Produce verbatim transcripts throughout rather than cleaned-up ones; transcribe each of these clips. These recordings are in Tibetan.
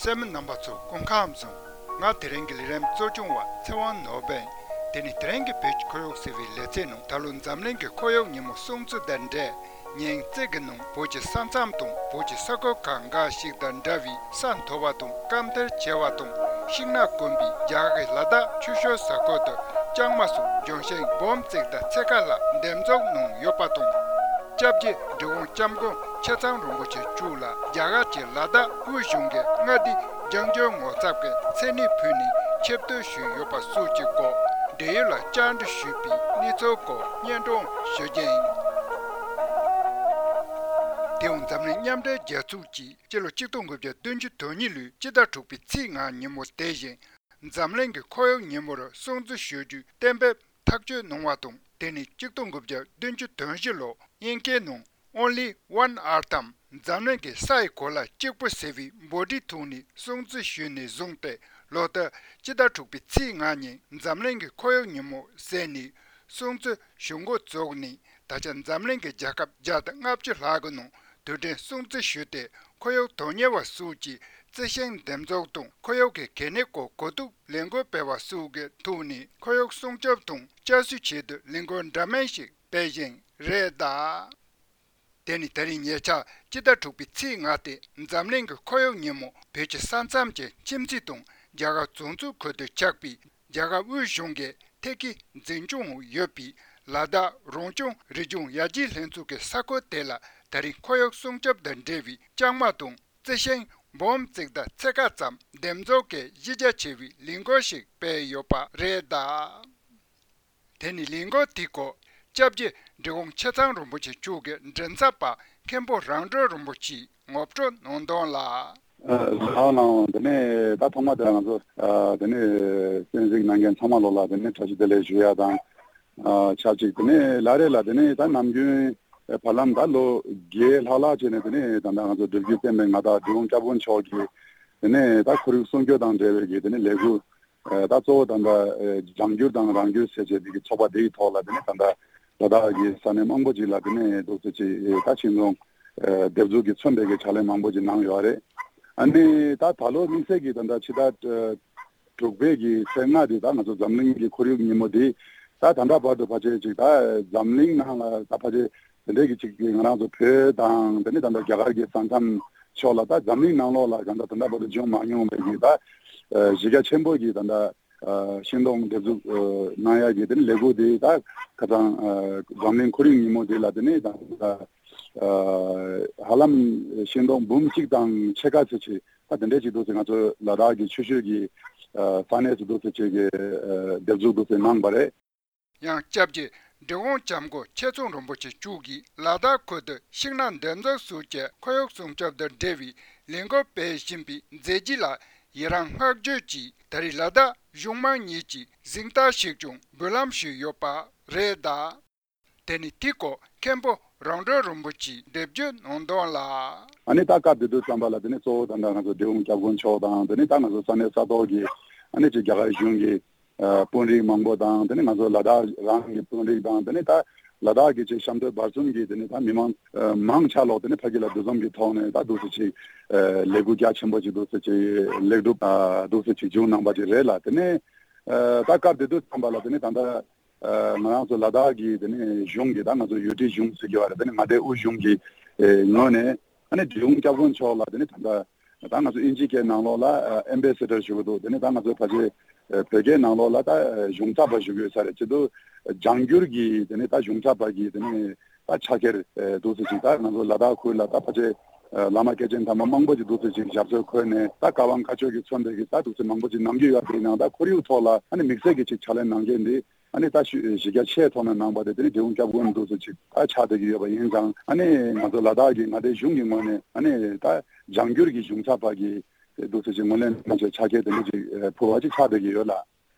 གསན་མི་རྣམ་པ་ཚོ་སྐུ་ཁམས་བཟང་། ང་དེ་རིང་གི་ལས་རིམ་གཙོ་སྐྱོང་བ་ཚེ་དབང་ནོར་བུ་ཡིན། དེ་ནི་དེ་རིང་གི་བོད་ཀྱི་ཁོར་ཡུག་ཟེར་བའི་ལེ་ཚན་ནང་ད་ལོ་འཛམ་གླིང་གི་ཁོར་ཡུག་ཉིན་མོ་སྲུང་བརྩི་དང་འབྲེལ། ཉིན་གཅིག་གི་ནང་བོད་ཀྱི་ས་མཚམས་དང་བོད་ཀྱི་ས་ཁུལ་ཁག་འགའ་ཞིག་དང་འདྲ་བའི་ས་མཐོ་བ་དང་སྐམ་ཐལ་ཆེ་བ་དང་ཤིང་ནགས་དཀོན་པའི་རྒྱ་གར་གྱི་ལ་དྭགས་ཆུ་ཤུར་ས་ཁུལ་དུ་ལྕང་མ་སོགས་ལྗོན་ཤིང་འབུམ་གཅིག་དང་ཕྱེད་ཀ་ལྷག་འདེབས་འཛུགས་གནང་ཡོད་པ་དང་། སྐྱབས་རྗེ་འབྲི་གུང་སྐྱབས་མགོན་ཆེ་ཚང་རིན་པོ་ཆེ་མཆོག་ལ་རྒྱ་གར་གྱི་ལ་དྭགས་དབུས་གཞུང་གི་མངའ་སྡེའི་ལྗང་བསྒྱུར་ངོ་ཚབ་ཀྱི་མཚན་གནས་ཕུལ་ནས་ཆེ་བསྟོད་ཞུས་ཡོད་པ་སོགས་ཀྱི་སྐོར་འབྲེལ་ཡོད་ལ་བཅར་འདྲི་ཞུས་པའི་གནས་ཚུལ་སྐོར་སྙན་སྒྲོན་ཞུ་རྒྱུ་ཡིན། དེའང་འཛམ་གླིང་མཉམ་འབྲེལ་རྒྱལ་ཚོགས་ཀྱིས་སྤྱི་ལོ་གཅིག་སྟོང་དགུ་བརྒྱ་བདུན་ཅུ་དོན་གཉིས་ལོའི་སྤྱི་ཟླ་དྲུག་པའི་ཚེས་ལྔ་ཉིན་མོ་དེ་བཞིན་འཛམ་གླིང་གི་ཁོར་ཡུག་ཉིན་མོར་སྲུང་བརྩི་ཞུ་རྒྱུའི་གཏན་འབེབས་ཐག་གཅོད་གནང་བ་དང་། དེ་ནི་གཅིག་སྟོང་དགུ་བརྒྱ་བདུན་ཅུ་དོན་བཞི་ལོ་དབྱིན་སྐད་ནང་Only One Earth འམ་འཛམ་གླིང་གི་ས་ཡི་གོ་ལ་གཅིག་པུ་ཟེར་བའི་འབོད་སྒྲའི་ཐོག་ནས་སྲུང་བརྩི་ཞུས་ནས་བཟུང་སྟེ། ལོ་ལྟར་སྤྱི་ཟླ་དྲུག་པའི་ཚེས་ལྔ་ཉིན་འཛམ་གླིང་གི་ཁོར་ཡུག་ཉིན་མོ་ཟེར་ནས་སྲུང་བརྩི་ཞུ་འགོ་བཙུགས་ནས། ད་ཆ་འཛམ་གླིང་གི་རྒྱལ་ཁབ་བརྒྱ་དང་ལྔ་བཅུ་ལྷག་གི་ནང་དུས་དྲན་སྲུང་བརྩི་ཞུས་ཏེ། ཁོར་ཡུག་དོན་གཉེར་བ་སོགས་ཀྱིས་རྩི་ཤིང་འདེབས་འཛུགས་དང་ཁོར་ཡུག་གི་གལ་གནད་སྐོར་གོ་བསྡུར་ལས་འགུལ་སྤེལ་བ་སོགས་ཀྱི་ཐོག་ནས་ཁོར་ཡུག་སྲུང་སྐྱོབ་དང་བསྐྱར་གསོའི་ཆེད་དུ་ལས་འགུལ་འདྲ་མིན་ཞིག་སྤེལ་བཞིན་རེད་གདའ། དེ་ནི་དེ་རིང་ཉེ་ཆར་སྤྱི་ཟླ་དྲུག་པའི་ཚེས་ལྔ་སྟེ་འཛམ་གླིང་གི་ཁོར་ཡུག་ཉིན་མོ་བོད་ཀྱི་ས་མཚམས་ཀྱི་ཁྱིམ་མཚེས་དང་རྒྱ་གར་བྱང་ཕྱོགས་ཁུལ་དུ་ཆགས་པའི་རྒྱ་གར་དབུས་གཞུང་གི་ཐད་ཀའི་འཛིན་སྐྱོང་འོག་ཡོད་པའི་ལ་དྭགས་རང་སྐྱོང་རི་ལྗོངས་ཡར་རྒྱས་ལྷན་ཚོགས་ཀྱི་ས་ཁུལ་དེ་ལ་ད་རིང་ཁོར་ཡུག་སྲུང་སྐྱོབ་དང་འབྲེལ་བའི་ལྕང་མ་དང་རྩི་ཤིང་འབུམ་གཅིག་དང་ཕྱེད་ཀ་ཙམ་འདེབས་འཛུགས་ཀྱི་གཞི་རྒྱ་ཆེ་བའི་ལས་འགུལ་ཞིག་སྤེལ་ཡོད་པ་རེད་གདའ། དེ་ནི་ལས་འགུལ་དེའི་སྐོར་སྐྱབས་རྗེ་འབྲི་གུང་ཆེ་ཚང་རིན་པོ་ཆེ་མཆོག་གི་མགྲིན་ཚབ་པ་མཁན་པོ་རང་གྲོལ་རིན་པོ་ཆེས་ངོ་སྤྲོད་གནང་དོན་ལ། ལགས་ལགས། དེ་ནས་ད་ཐོག་མ་དེ་ང་ཚོ་དེ་ནས་གསན་གཟིགས་གནང་མཁན་ཚང་མ་ལོ་ལ་དེ་ནས་བཀྲ་ཤིས་བདེ་ལེགས་ཞུ་ཡ་དང་། ཆབས་ཅིག་དེ་ནས་ལ་རེ་ལ་དེ་ནས་ད་ནམ་རྒྱུན་བར་ལམ་ད་ལོ་བརྒྱད་ལྷག་ལྷག་བྱས་ནས་དེ་ནས་ད་ལྟ་ང་ཚོ་སྒྲུབ་བརྒྱུད་བསྟན་པའི་མངའ་བདག་འབྲི་གུང་སྐྱབས་མགོན་མཆོག་གིས་དེ་ནས་ད་ཁོར་ཡུག་སྲུང་སྐྱོབ་དང་འབྲེལ་བའི་གི་དེ་ནས་ལས་འགུལ། ད་གཙོ་བོ་ད་ལྟ་ལྗང་བསྒྱུར་དང་རང་བསྒྱུར་ཟེར་བྱས་དེ་གི་ཚོགས་པ་དེ་ཡི་ཐོག་ལ་དེ་ནས་ད་ལྟ་ལ་དྭགས་ཀྱི་ས་གནས་མང་པོ་ཅིག་ལ་དེ་ནས་འདུག་སེ་ཅིག་ད་ཤིང་སྡོང་འདེབས་འཛུགས་ཀྱི་མཚོན་པའི་གི་ཕྱག་ལས་མང་པོ་ཅིག་གནང་ཡོད་རེད། ཨ་ནི་ད་ད་ལོ་དམིགས་བསལ་གྱི་ད་ལྟ་ཕྱི་ཟླ་དྲུག་པའི་གི་ཚེས་ལྔ་དེ་ད་ང་ཚོ་འཛམ་གླིང་གི་ཁོར་ཡུག་ཉིན་མོ་དེ་ད་ད་ལྟ་བར་དུ་ཕལ་ཆེར་ཅིག་ད་འཛམ་གླིང་ནང་ལ་ད་ཕལ་ཆེར་དེ་འདྲའི་གི་ཅིག་གི་ང་རང་ཚོ་བོད་དང་དེ་ནས་ད་ལྟ་རྒྱ་གར་གྱི་ས་མཚམས་ཕྱོགས་ལ་ད་འཛམ་གླིང་ནང་ལོགས་ལ་ད་ལྟ་ད་ལྟ་བར་དུ་བྱུང་མ་མྱོང་བའི་གི་ད་གཞི་རྒྱ་ཆེན་པོ་གི་ད་ལྟ་ཤིང་སྡོང་འདེབས་འཛུགས་གནང་ཡ་གི་དེ་ནས་ལས་འགུལ་དེ་ད་ཁ་སང་འཛམ་གླིང་ཁོར་ཡུག་ཉིན་མོ་དེ་ལ་དེ་ནས་ད་ཧ་ལམ་ཤིང་སྡོང་འབུམ་གཅིག་དང་ཕྱེད་ཀ་ཙམ་ཅིག་ད་དེ་འདྲས་ཅིག་འདུག་ཟེར་ང་ཚོ་ལ་དྭགས་ཀྱི་ཆུ་ཤུར་གྱི་ས་གནས་སུ་འདུག་ཟེར་ཅིག་གི་འདེབས་འཛུགས་འདུག་ཟེར་གནང་པ་རེད། ཡང་སྐྱབས་རྗེ་འབྲི་གུང་སྐྱབས་མགོན་ཆེ་ཚང་རིན་པོ་ཆེ་མཆོག་གིས་ལ་དྭགས་ཁུལ་དུ་ཤིང་ནགས་འདེབས་འཛུགས་སོགས་ཀྱི་ཁོར་ཡུག་སྲུང་སྐྱོབ་དང་འབྲེལ་བའི་ལས་འགུལ་སྤེལ་བཞིན་པའི་མཛད་རྗེས་ལ་ཡི་རང་བསྔགས་བརྗོད་ཀྱིས་ད་རེས་ལ་དྭགས་གཞུང་མང་གཉིས་ཀྱིས་གཟེངས་རྟགས་ཤིག་ཀྱང་འབུལ་ལམ་ཞུས་ཡོད་པ་རེད་གདའ། དེ་ནི་དེའི་སྐོར་མཁན་པོ་རང་གྲོལ་རིན་པོ་ཆེས་འགྲེལ་བརྗོད་གནང་དོན་ལ། ཨ་ནི་ད་སྐབས་དེ་དུས་ཙམ་པ་ལ་དེ་ནི་གཙོ་བོ་ད་ལྟ་ང་ཚོ་འབྲི་གུང་སྐྱབས་མགོན་མཆོག་དང་དེ་ནི་ད་ང་ཚོ་ས་གནས་ས་ཐོག་གི་ཨ་ནི་ཅིག་རྒྱ་གར་གཞུང་གི་ཨ་དཔོན་རིགས་མང་པོ་དང་དེ་ནས་ང་ཚོ་ལ་དྭགས་རང་གི་དཔོན་རིགས་དང་དེ་ནས་ད་ལ་དྭགས་ཀྱི་ཆེས་གཤམ་སྟོད་བར་གསུམ་གྱི་དེ་ནས་ད་མི་མང་ཨ་མང་ཆ་ལོག་དེ་ནས་ཕ་གི་ལ་འདུ་འཛོམས་ཀྱི་ཐོག་ནས་ད་འདུག་སེ་ཅིག་ཨ་ལས་འགུལ་རྒྱ་ཆེན་པོ་ཅིག་འདུག་སེ་ཅིག་ལེགས་གྲུབ་ཨ་འདུག་སེ་ཅིག་བྱུང་གནང་པ་ཅིག་རེད་ལ། དེ་ནས་ཨ་ད་སྐབས་དེ་དུས་ཙམ་པ་ལ་དེ་ནས་ད་ལྟ་ཨ་ང་རང་ཚོ་ལ་དྭགས་ཀྱི་དེ་ནས་གཞུང་གི་ད་ང་ཚོ་ཡུལ་ཁྲིའི་གཞུང་ཟེར་གྱི་བ་རེད། དེ་ནས་མངའ་སྡེ་དབུས་གཞུང་གི་ཨ་ངོས་ནས། ཨ་ནི་འབྲི་གུང་སྐྱབས་མགོན་མཆོག་ལ་དེ་ནི་ད་ལྟ་ད་ང་ཚོ་ཨིན་ཇི་སྐད་ནང་ལོགས་ལ་ཨེམ་བེ་སེ་ཌར་ཞུ་གི་འདུག་དེ་ནི་ད་ང་ཚོ་ཕལ་ཆེར་བོད་སྐད་ནང་ལོགས་ལ་ད་གཞུང་ཚབ་པ་ཞུ་གི་ཡོད་ས་རེད། བྱེད་དུས་ལྗང་བསྒྱུར་གྱི་དེ་ནི་ད་གཞུང་ཚབ་པ་གི་དེ་ནི་ད་ཕྱག་འཁྱེར་འདུག་སེ་ཅིག་ད་ང་ཚོ་ལ་དྭགས་ཁུལ་ལ་ད་ཕལ་ཆེར་བླ་མ་སྐྱེས་ཆེན་དམ་པ་མང་པོ་ཅིག་འདུག་སེ་ཅིག་ཞབས་སོར་འཁོད་ནས་ད་བཀའ་དབང་བཀའ་ཆོས་ཀྱི་མཚོན་པའི་གི་ད་འདུག་སེ་མང་པོ་ཅིག་གནང་གི་ཡོད་པ་ཡིན་ནའང་ད་ཁོར་ཡུག་ཐོག་ལ་ཨ་ནི་དམིགས་བསལ་གྱི་ཅིག་ཕྱག་ལས་གནང་མཁན་འདི། ཨ་ནི་ད་ཤུ་གཞི་རྒྱ་ཆེ་ཐོག་ནས་གནང་པ་དེ་དེ་ནི་འབྲི་གུང་སྐྱབས་མགོན་འདུག་སེ་ཅིག་ད་ཆགས་བསྡད་ཀྱི་ཡོད་པ་ཡིན་ཙང་། ཨ་ནི་ང་ཚོ་ལ་དྭགས་ཀྱི་མངའ་སྡེ་གཞུང་གི་ངོས་ནས་ཨ་ནི་ད་ལྗང་བསྒྱུར་གྱི་གཞུང་ཚབ་པ་གི་འདུག་སེ་ཅིག་ངོས་ལེན་གནང་བྱས་ཕྱག་འཁྱེར་དེ་འདྲ་ཅིག་ཕུལ་བ་ཅིག་ཆགས་བསྡད་ཀྱི་ཡོད་ལ།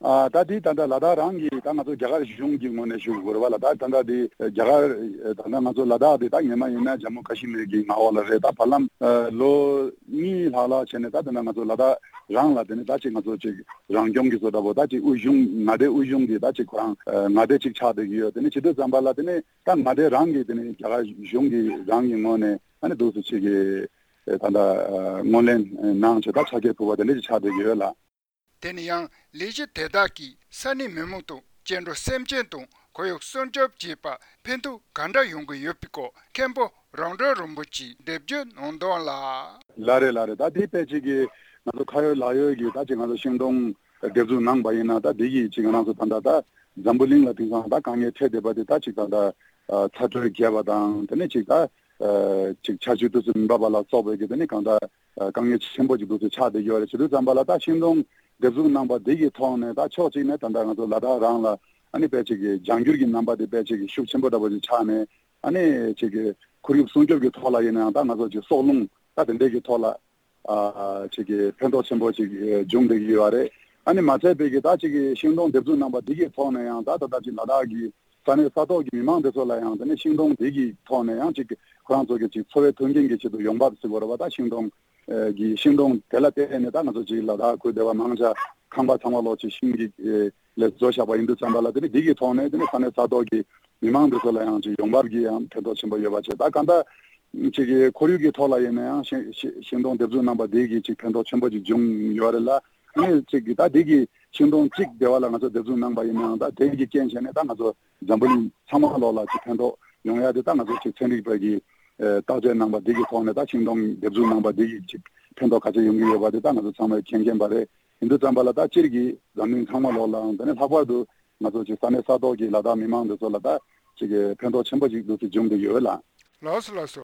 ཨ་ད་དེ་ད་ལྟ་ལ་དྭགས་རང་གི་ད་ང་ཚོ་རྒྱ་གར་གཞུང་གི་ངོས་ནས་ཞུ་དགོས་རེད་བ་ལ། ད་ད་ལྟ་དེ་རྒྱ་གར་ད་ལྟ་ང་ཚོ་ལ་དྭགས་དེ་ད་སྔོན་མ་ཡིན་ན་ཇམ་མུ་ཀ་ཤི་མིར་གྱི་མངའ་འོག་ལ་རེད། ད་བར་ལམ་ལོ་གཉིས་ལྷག་ལྷག་བྱས་ནས་ད་ད་ལྟ་ང་ཚོ་ལ་དྭགས་རང་ལ་དེ་ནི་ད་ཅིག་ང་ཚོ་ཅིག་རང་སྐྱོང་གི་བཟོ་འདྲ་པོ་ད་ཅིག་དབུས་གཞུང་མངའ་སྡེ་དབུས་གཞུང་གི་ད་ཅིག་ཁོ་རང་མངའ་སྡེ་ཅིག་ཆགས་བསྡད་ཀྱི་ཡོད། དེ་ནི་བྱེད་དུས་ཙམ་པ་ལ་དེ་ནི་ད་མངའ་སྡེ་རང་གི་དེ་ནི་རྒྱ་གར་གཞུང་གི་རང་གི་ངོས་ནས་ཨ་ནི་འདུག་སེ་ཅིག་གི་ ད་ལྟ་ངོས་ལེན་གནང་བྱས་ད་ཕྱག་འཁྱེར་ཕུལ་བ་དེ་འདྲ་ཞིག་ཆགས་བསྡད་ཡོད་ལགས། དེ་ནི་ཡང་ལས་གཞི་དེ་དག་གིས་ས་གནས་མི་མང་དང་སྐྱེ་འགྲོ་སེམས་ཅན་དང་ཁོར་ཡུག་སྲུང་སྐྱོབ་བྱེད་པར་ཕན་ཐོགས་ག་འདྲ་ཡོང་གི་ཡོད་པའི་སྐོར་མཁན་པོ་རང་གྲོལ་རིན་པོ་ཆེས་འགྲེལ་བརྗོད་གནང་དོན་ལ། ལགས་རེད་ལགས་རེད། ད་དེ་དཔེ་ཅིག་གིས་ང་ཚོ་ཁ་ཡོད་ལག་ཡོད་ཀྱི་ད་ཅིག་ང་ཚོ་ཤིང་སྡོང་འདེབས་འཛུགས་གནང་པ་ཡིན་ན་ད་དེ་གིས་ཅིག་ང་རང་ཚོ་ད་ལྟ་ད་འཛམ་བུ་གླིང་ལ་དེང་སང་ད་དཀའ་ངལ་འཕྲད་བསྡད་པ་དེ་ད་ཅིག་ད་ལྟ་ཚ་དྲོད་རྒྱས་པ་དང་དེ་ནས་ཅིག་ད་ཅིག་ཆར་ཆུ་དུས་སུ་མི་འབབ་པ་ལ་སོགས་པའི་གི་དེ་ནས་གང་ལྟར་དཀའ་ངལ་ཆེན་པོ་ཅིག་འདུག་སེ་ཆགས་བསྡད་ཡོད་རེད། བྱེད་དུས་ཙམ་པ་ལ་ད་ཤིང་སྡོང་འདེབས་འཛུགས་གནང་པ་འདི་གི་ཐོག་ནས་ད་ཕྱོགས་གཅིག་ནས་ད་ལྟ་ང་ཚོ་ལ་དྭགས་རང་ལ་ཨ་ནི་དཔེ་ཅིག་གི་ལྗང་བསྒྱུར་གྱི་རྣམ་པ་དེ་དཔེ་ཅིག་གི་ཤུགས་ཆེན་པོ་འདྲ་པོ་ཅིག་ཆགས་ནས་ཨ་ནི་ཅིག་གི་ཁོར་ཡུག་སྲུང་སྐྱོབ་ཀྱི་ཐོག་ལ་ཡིན་ནའང་ད་ང་ཚོ་ཅིག་སྲོག་རླུང་ད་དེ་འདྲས་ཀྱི་ཐོག་ལ་ཨ་ཅིག་གི་ཕན་ཐོགས་ཆེན་པོ་ཅིག་འབྱུང་བསྡད་ཀྱི་ཡོད་རེད། ཨ་ནི་མ་ཚད་པའི་གི་ད་ཅིག་གི་ཤིང་སྡོང་འདེབས་འཛུགས་གནང་པ་འདི་གི་ཐོག་ནས་ཡང་ད་ད་ལྟ་ཅིག་ལ་དྭགས་ཀྱི་ས་གནས་ས་ཐོག་གི་མི་མང་དེ་ཚོ་ལ་ཡང་དེ་ནས་ཤིང་སྡོང་དེ་གི་ཐོག་ནས་ཡང་ཅིག་ཁོ་རང་ཚོ་གི་ཅིག་འཚོ་བའི་མཐུན་རྐྱེན་གྱི་ཆེད་དུ་ཡོང་འབབ་ཟེར་དགོས་རེད་པ། ད་ཤིང་སྡོང་གི་ཤིང་སྡོང་དེ་ལ་བརྟེན་ནས་ད་ང་ཚོ་ཅིག་ལ་དྭགས་ཁུལ་སྡེ་བ་མང་ཆེ་ཁང་པ་ཚང་མ་ལོག་ཅིག་ཤིང་གི་ལས་བཟོ་བཞག་པ་ཡིན་དུས་ཙམ་པ་ལ་དེ་ནི་འདི་གི་ཐོག་ནས་དེ་ནི་ས་གནས་ས་ཐོག་གི་མི་མང་དེ་ཚོ་ལ་ཡང་ཅིག་ཡོང་འབབ་ཀྱི་ཡང་ཕན་ཐོགས་ཆེན་པོ་ཡོད་པ་བྱས། ད་གང་ལྟར་ཅིག་གི་ཁོར་ཡུག་གི་ཐོག་ལ་ཡིན་ན་ཡང་ཤིང་ཤིང་ཤིང་སྡོང་འདེབས་འཛུགས་གནང་པ་འདི་གི་ཅིག་ཕན་ཐོགས་ཆེན་པོ་ཅིག་བྱུང་ཡོད་རེད་ལ། ཨ་ནི་ཅིག་གི་ད་འདི་གི་ཤིང་སྡོང་གཅིག་སྡེ་བ་ལ་ང་ཚོ་འདེབས་འཛུགས་གནང་པ་ཡིན་ནའང་ད་དེ་གི་རྐྱེན་བྱས་ནས་ད་ང་ཚོ་འཛམ་བུ་གླིང་ཚང་མ་ལོག་ལ་ཅིག་ཕན་ཐོགས་ཡོང་ཡ་དེ་ད་ང་ཚོ་ཅིག་ཚན་རིག་པ་གི་ཨེ་བརྟག་དཔྱད་གནང་པ་འདི་གི་ཐོག་ནས་ད་ཤིང་སྡོང་འདེབས་འཛུགས་གནང་པ་འདི་གི་ཅིག་ཕན་ཐོགས་ག་ཚད་ཡོང་གི་ཡོད་པ་དེ་ད་ང་ཚོ་ཚང་མས་མཁྱེན་མཁྱེན་པ་རེད། ཡིན་དུས་ཙམ་པ་ལ་ད་སྤྱིར་གྱི་འཛམ་གླིང་ཚང་མ་ལོག་ལའང་དེ་ནས་ལྷག་པར་དུ་ང་ཚོ་ཅིག་ས་གནས་ས་ཐོག་གི་ལ་དྭགས་མི་མང་འདི་ཚོ་ལ་ད་ཅིག་ཕན་ཐོགས་ཆེན་པོ་ཅིག་འདུག་སེ་འབྱུང་གི་ཡོད་ལ། ལགས་སོ་ལགས་སོ།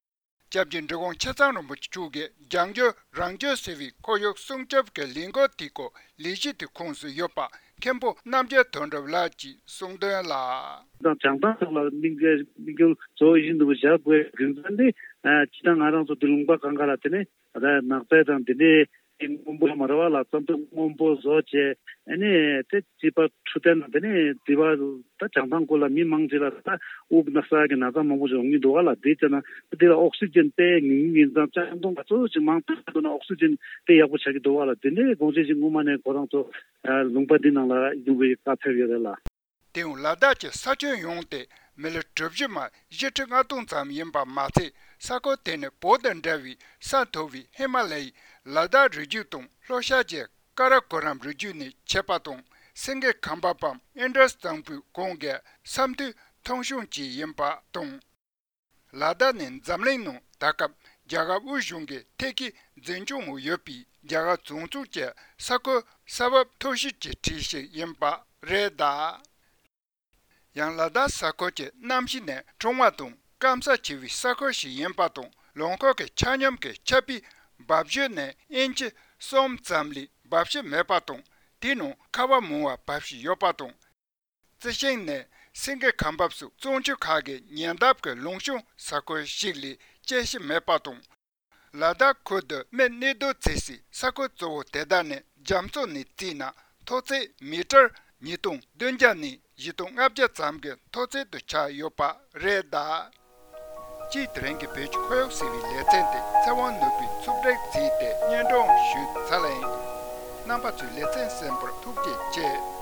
སྐྱབས་རྗེ་འབྲི་གུང་ཆེ་ཚང་རིན་པོ་ཆེ་མཆོག་གིས་ལྗང་བསྒྱུར་རང་བྱུང་ཟེར་བའི་ཁོར་ཡུག་སྲུང་སྐྱོབ་ཀྱི་ལས་འགུལ་དེའི་སྐོར་ལས་གཞི་དེ་ཁོངས་སུ་ཡོད་པ་མཁན་པོ་རྣམ་རྒྱལ་དོན་གྲུབ་ལགས་ཀྱིས་གསུངས་དོན་ལ། དང་བྱང་ཐང་སོགས་ལ་དམིགས་དམིགས་རྒྱུ་གཙོ་བོ་ཡིན་འདུག་བཞག་དགོས་རྒྱུ་མཚན་དེ་སྤྱི་བཏང་ང་རང་ཚོ་འདི་ལུང་པ་གང་ག་ལ་དེ་ནས་ད་ནགས་ཚལ་དང་དེ་འདྲའི་སྔོན་པོ་མ་ར་བ་ལ་རྩྭ་མདོག་སྔོན་པོ་བཟོ་བྱས་ཨ་ནི་དེ་སྲིད་པ་འཕྲོད་བསྟེན་དང་དེ་ནས་དེ་བ་ད་བྱང་ཐང་སྐོར་ལ་མི་མང་ཆེ་ལ་ད་དབུགས་ན་ས་གི་ན་ཚ་མང་པོ་ཞིག་ཡོང་གི་འདུག་ག་ལ། དེ་བྱས་ན་དེ་ལ་ཨོག་སི་ཇན་དཔེ་ཉུང་ཉུང་ཡིན་ཙང་ལྕང་སྡོང་ག་ཚོད་ཅིག་མང་དྲགས་འདུག་ན་ཨོག་སི་ཇན་དཔེ་ཡག་པོ་ཆགས་ཀྱི་འདུག་ག་ལ། དེ་འདྲའི་དགོངས་བཞེད་ཅིག་སྔོན་མ་ནས་ཁོ་རང་ཚོ་ལུང་པ་འདི་ནང་ལ་ཡོང་བའི་བཀའ་ཕེབས་ཡོད་རེད་ལ། དེའང་ལ་དྭགས་ཀྱི་ས་ཁྱོན་ཡོངས་དེ་མི་ལི་གྲུ་བཞི་མ་བཞི་ཁྲི་ལྔ་སྟོང་ཙམ་ཡིན་པ་མ་ཚད། ས་ཁུལ་དེ་ནི་བོད་དང་འདྲ་བའི་ས་མཐོ་བའི་ཧི་མ་ལ་ཡའི་ལ་དྭགས་རི་རྒྱུད་དང་ལྷོ་ཤར་གྱི་ཀ་ར་ཀོ་རམ་རི་རྒྱུད་ནས་ཆད་པ་དང་སེང་གེ་ཁ་འབབ་བམ་ཨིན་ཌ་སི་གཙང་པོའི་གོང་གི་ས་མཐོའི་ཐང་གཞུང་བཅས་ཡིན་པ་དང་། ལ་དྭགས་ནི་འཛམ་གླིང་ནང་ད་སྐབས་རྒྱ་གར་དབུས་གཞུང་གི་ཐད་ཀའི་འཛིན་སྐྱོང་འོག་ཡོད་པའི་རྒྱ་གར་བྱང་ཕྱོགས་ཀྱི་ས་ཁུལ་ས་བབ་མཐོ་ཤོས་ཀྱི་གྲས་ཤིག་ཡིན་པ་རེད་གདའ། ཡང་ལ་དྭགས་ས་ཁུལ་གྱི་གནམ་གཤིས་ནི་གྲང་བ་དང་སྐམ་ས་ཆེ་བའི་ས་ཁུལ་ཞིག་ཡིན་པ་དང་། ལུང་ཁུལ་གྱི་ཆ་སྙོམས་ཀྱི་ཆར་པའི་འབབ་ཞོད་ནི་ཨིན་ཅི་གསུམ་ཙམ་ལས་འབབ་ཤུགས་མེད་པ་དང་། དེའི་ནང་ཁ་བ་མང་བ་འབབ་ཤུགས་ཡོད་པ་དང་། རྩི་ཤིང་ནི་སེང་གེ་ཁ་འབབ་སོགས་གཙང་ཆུ་ཁག་གི་ཉེ་འདབས་ཀྱི་ལུང་གཤོང་ས་ཁུལ་ཞིག་ལས་སྐྱེ་ཤི་མེད་པ་དང་། ལ་དྭགས་ཁུལ་དུ་མི་གནས་སྡོད་བྱེད་སའི་ས་ཁུལ་གཙོ་བོ་དེ་དག་ནི་རྒྱ་མཚོ་ནས་བརྩིས་ན་མཐོ་ཚད་མི་ཊར་ཉིས་སྟོང་བདུན་བརྒྱ་ནས་བཞི་སྟོང་ལྔ་བརྒྱ་ཙམ་གྱི་མཐོ་ཚད་དུ་ཆགས་ཡོད་པ་རེད་གདའ། སྤྱིར་དེ་རིང་གི་བོད་ཀྱི་ཁོར་ཡུག་ཟེར་བའི་ལེ་ཚན་དེ་ཚེ་དབང་ནོར་བུས་ཕྱོགས་སྒྲིག་བྱས་ཏེ་སྙན་སྒྲོན་ཞུས་ཚར་ལ་ཡིན། རྣམ་པ་ཚོས་ལེ་ཚན་གསན་པར་ཐུགས་རྗེ་ཆེ།